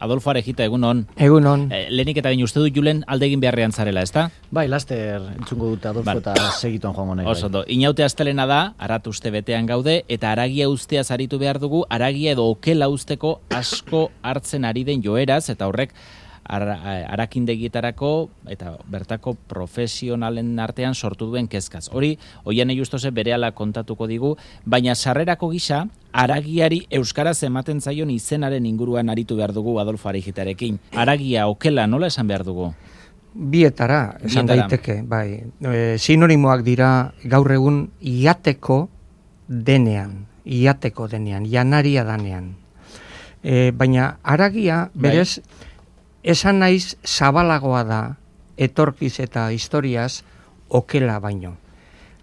Adolfo Arejita, egunon. Egunon. Lehenik eta bain uste du Julen alde egin beharrean zarela, ezta? Bai, laster entzungo dute Adolfo eta segituan joango nahi. Oso ondo. Inaute astelena da, arat uste betean gaude, eta aragia ustea zaritu behar dugu, aragia edo okela usteko asko hartzen ari den joeraz, eta horrek arakindegietarako eta bertako profesionalen artean sortu duen kezkaz. Hori, Oianei Justose berehala kontatuko digu, baina sarrerako gisa, aragiari euskaraz ematen zaion izenaren inguruan aritu behar dugu Adolfo Arejitarekin. Aragia, okela, nola esan behar dugu? Bietara, esan daiteke, bai. Sinonimoak dira gaur egun iateko denean, janaria danean. Baina aragia, berez, esan naiz zabalagoa da, etorkiz eta historiaz, okela baino.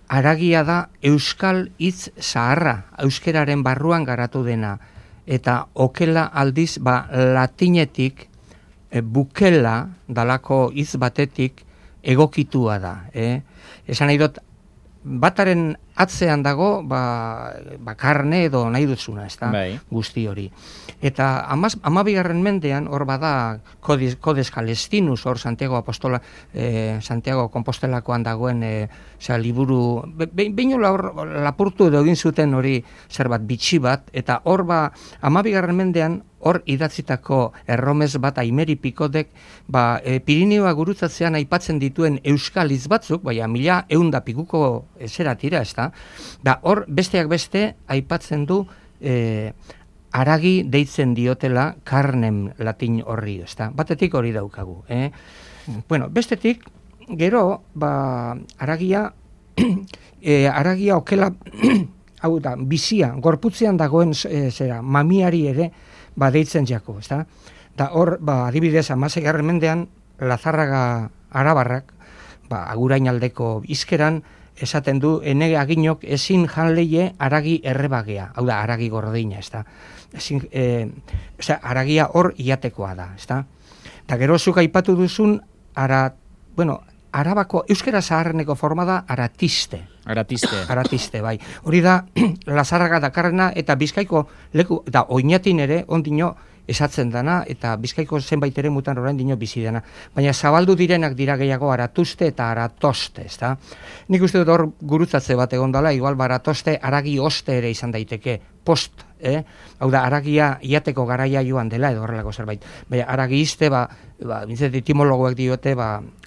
Aragia da euskal hitz zaharra, euskeraren barruan garatu dena, eta okela aldiz, latinetik, bukela, dalako hitz batetik, egokitua da. Esan nahi dut, bataren atzean dago, karne edo nahi dutzuna, ez da, guzti hori. Eta 12. mendean, hor bada, Codes Calestinus, hor Santiago Compostelakoan dagoen, liburu, beinola hor lapurtu edo egin zuten hori zerbat bitxi bat, eta hor 12. mendean, hor idatzitako erromes bat Aimeri Pikodek, Pirinioa gurutzatzean aipatzen dituen euskal hitz batzuk, 1100 pikuko zera tira, ez da, hor besteak beste aipatzen du aragi deitzen diotela karnem latin horri, ez da, batetik hori daukagu. Bueno, bestetik, gero, aragia okela, hau da, bizia, gorputzean dagoen mamiari ere, deitzen jako, ez da? Da hor, adibidez, 16. mendean, Lazarraga Arabarrak, Agurainaldeko izkeran, esaten du, ene aginok ezin janleie aragi errebagea, hau da, aragi gordina, ez da? Aragia hor iatekoa da, ez da? Eta gero zuk aipatu duzun, Arabako, euskera zaharreneko forma da aratiste. Aratiste, bai. Hori da, Lazarraga dakarrena eta Bizkaiko leku, eta oinatin ere, ondino esatzen dana, eta Bizkaiko zenbait ere mutan orain dino bizi dena. Baina zabaldu direnak dira gehiago aratuste eta aratoste, ez da? Nik uste dut hor gurutzatze bat egon dela, igual aratoste aragi oste ere izan daiteke, post, hau da, aragia iateko garaia joan dela edo horrelako zerbait. Baina aragi izte, bintzet etimologoek diote,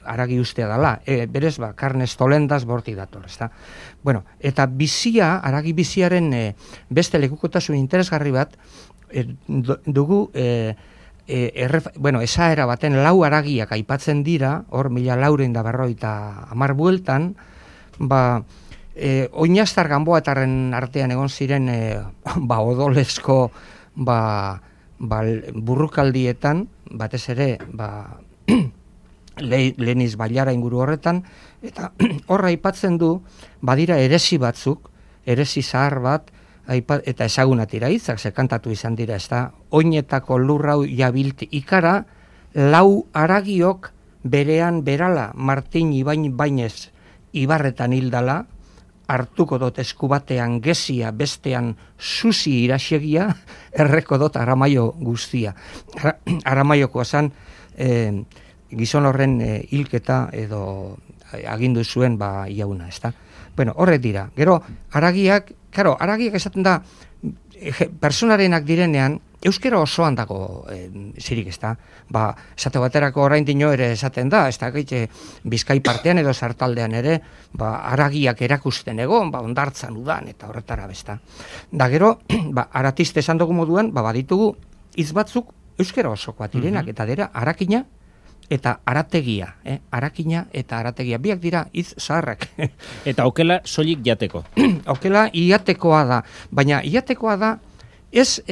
aragi ustea dela. Berez, karnez tolendaz borti dator, ez da? Bueno, eta bizia, aragi biziaren beste lekukotasun interesgarri bat, dugu, esaera baten 4 aragiak aipatzen dira, hor 1450 bueltan, Oinaztar Ganboatarren artean egon ziren odolezko burrukaldietan, batez ere Leniz Bailara inguru horretan, eta horra aipatzen du, badira eresi batzuk, eresi zahar bat, eta ezagunatira hitzak, kantatu izan dira, ez da, oinetako lurrau jabilt ikara, 4 aragiok berean berala Martin Ibainez Ibarretan hildala, hartuko dut eskubatean gezia, bestean susi irasiegia, erreko dut Aramaio guztia. Aramaioko esan, gizon horren hilketa edo agindu zuen iauna, ez da. Bueno, horrek dira. Gero, aragiak esaten da, personarenak direnean, euskera osoan dago zirik, ez da. Esate baterako orain dino ere esaten da, ez da, Bizkai partean edo sartaldean ere, aragiak erakusten egon, ondartzan udan, eta horretara besta. Da gero, aratiste esan dugu moduan, baditugu hitz batzuk euskera osokoak direnak, eta dira, arakina, eta arategia, arakina eta arategia, biak dira hitz zaharrak. Eta okela soilik jateko. Okela iatekoa da, baina iatekoa da, ez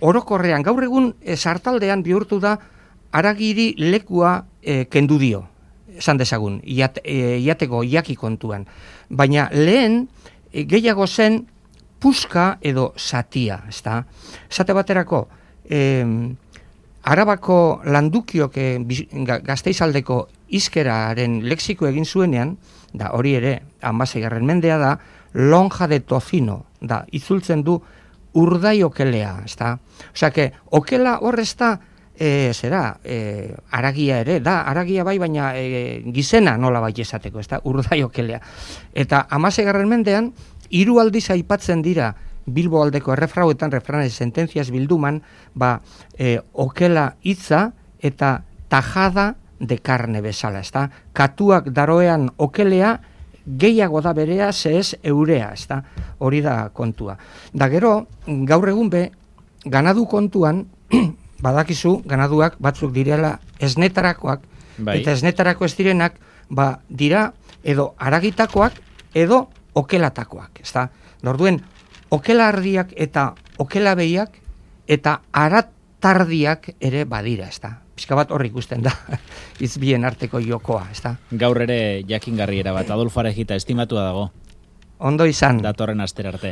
orokorrean, gaur egun sartaldean bihurtu da, aragiri lekua kendu dio, esan dezagun, iateko iaki kontuan. Baina lehen, gehiago zen, puska edo satia, ez da? Esate baterako, Arabako landukiok Gasteizaldeko izkeraren lexiko egin zuenean, da hori ere 16. mendea da, lonja de tocino, da, itzultzen du urdai okelea, ez da? Osea, okela hor ez da aragia ere, da, aragia bai, baina gizena nola bai esateko, ez da, urdai okelea. Eta 16. mendean, 3 aldiz aipatzen dira Bilbo aldeko errefrauetan, refranes sententziaz bilduman, okela hitza eta tajada de carne bezala, ez da, katuak daroean okelea, gehiago da berea, ez eurea, ez da, hori da kontua. Da gero, gaur egun ganadu kontuan, badakizu, ganaduak batzuk direla esnetarakoak, eta esnetarako ez direnak, dira edo aragitakoak edo okelatakoak, ez da. Orduen, okela ardiak eta okela behiak eta aratardiak ere badira, ez da. Pizka bat hor ikusten da, izbien arteko jokoa, ez da. Gaur ere jakingarriera bat, Adolfo Arejita estimatua dago. Ondo izan. Datorren astera arte.